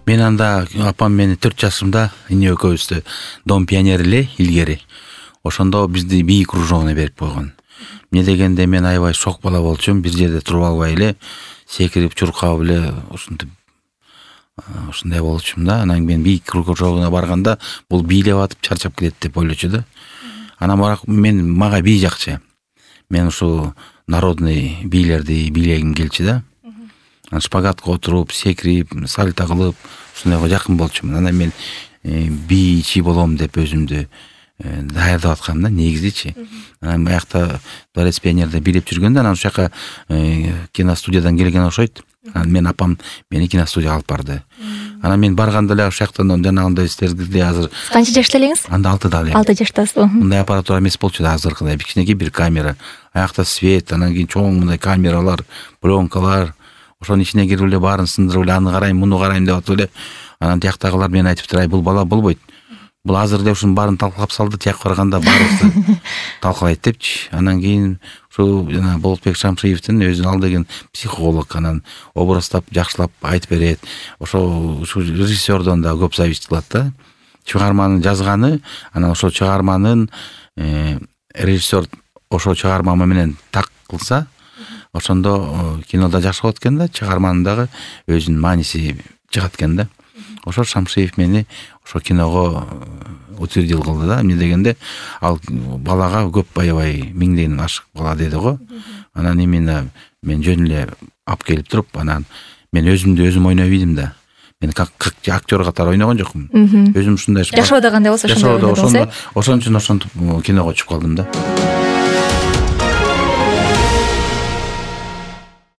Мен анда апам мени 4 жашымда эне экөөбүздү Дом пионер эле илгери. Ошондо бизди бий кружогуна берип койгон. Эмне дегенде мен аябай шок бала болчумун, бир жерде туруп албай эле секирип чуркап эле ушинтип ушундай болчумун да. Анан мен бий кружогуна барганда бул бийлеп атып чарчап келет деп ойлочу да. Анан бирок мага бий жакчы. Мен ушу народный бийлерди бийлегим келчү да. Шпагатка отуруп, секирип, сальто кылып, ушундайга жакын болчумун. Анан мен бийчи болом деп өзүмдү даярдап аткам да, негизичи. Анан аякта Дворец пионерде бийлеп жүргөндө, анан ошол жака киностудиядан келген окшойт. Анан мен апам мени киностудияга алып барды. Анан мен барганда эле ошол жактан жанагындай силердей азыр канча жашта элеңиз? Анда 6да элем. 6 жаштасыз. Мындай аппаратура эмес болчу да, азыркыдай кичинекей бир камера, аякта свет, анан кийин чоң мындай камералар, пленкалар. Ошонун ичине кирип эле баарын сындырып эле аны карайм, муну карайм деп атып эле. Анан тияктагылар мени айтыптыр, ай бул бала болбойт. Бул азыр эле ушунун баарын талкалап салды, тияк барганда баарыбызды талкалайт депчи. Анан кийин ушу жана Болотбек Шамшиевдин өзүнүн ал деген психолог, анан образдап жакшылап айтып берет. Ошо режиссердон да көп зависить кылат да. Чыгарманы жазганы, анан ошол чыгарманын режиссер ошол чыгарма менен так кылса, ошондо кинода жакшы болот экен да, чыгарманын дагы өзүнүн мааниси чыгат экен да. Ошо Шамшиев мени ошо киного утвердил кылды да. Эмне дегенде ал балага көп аябай миңден ашык бала деди го. Анан именно мен жөн эле алып келип туруп, анан мен өзүмдү өзүм ойной билдим да. Мен как актер катары ойногон жокмун. Өзүм ушундай жашоодо кандай болсо ошондой. Ошон үчүн ошентип киного чыгып калдым да.